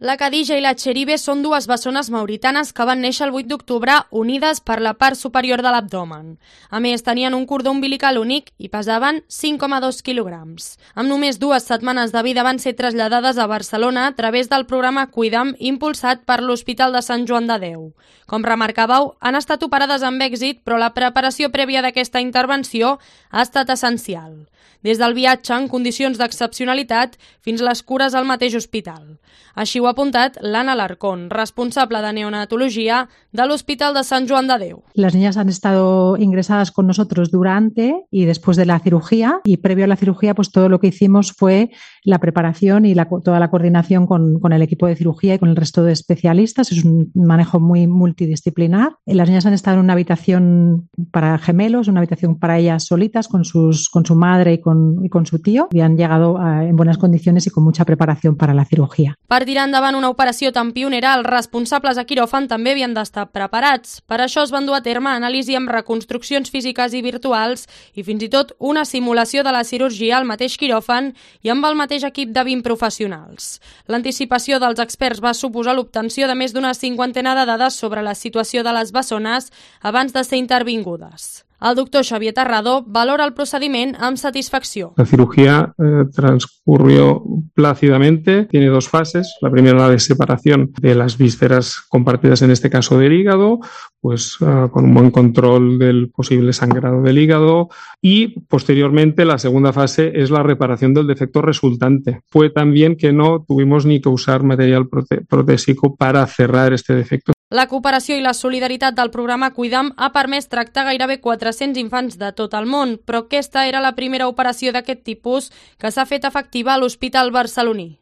La Khadija i la Cheribe són dues bessones mauritanes que van néixer el 8 d'octubre unides per la part superior de l'abdomen. A més, tenien un cordó umbilical únic i pesaven 5,2 quilograms. Amb només 2 setmanes de vida van ser traslladades a Barcelona a través del programa Cuida'm impulsat per l'Hospital de Sant Joan de Déu. Com remarcàveu, han estat operades amb èxit, però la preparació prèvia d'aquesta intervenció ha estat essencial. Des del viatge en condicions d'excepcionalitat fins les cures al mateix hospital. Així ho ha apuntat l'Anna Alarcón, responsable de neonatología del Hospital de Sant Joan de Déu. Las niñas han estado ingresadas con nosotros durante y después de la cirugía, y previo a la cirugía pues todo lo que hicimos fue la preparación y toda la coordinación con el equipo de cirugía y con el resto de especialistas. Es un manejo muy multidisciplinar. Las niñas han estado en una habitación para gemelos, una habitación para ellas solitas con su madre y con su tío, y han llegado en buenas condiciones y con mucha preparación para la cirugía. Per tirar endavant una operació tan pionera, els responsables de quiròfan també havien d'estar preparats. Per això es van dur a terme anàlisi amb reconstruccions físiques i virtuals i fins i tot una simulació de la cirurgia al mateix quiròfan i amb el mateix equip de 20 professionals. L'anticipació dels experts va suposar l'obtenció de més d'una cinquantena de dades sobre la situació de les bessones abans de ser intervingudes. El doctor Xavier Terrado valora el procediment amb satisfacció. La cirugía transcurrió plácidamente, tiene 2 fases. La primera, la de separación de las vísceras compartidas, en este caso del hígado, pues con un buen control del posible sangrado del hígado, y posteriormente la segunda fase es la reparación del defecto resultante. Fue también que no tuvimos ni que usar material protésico para cerrar este defecto. La cooperació i la solidaritat del programa Cuida'm ha permès tractar gairebé 400 infants de tot el món, però aquesta era la primera operació d'aquest tipus que s'ha fet efectiva a l'Hospital barceloní.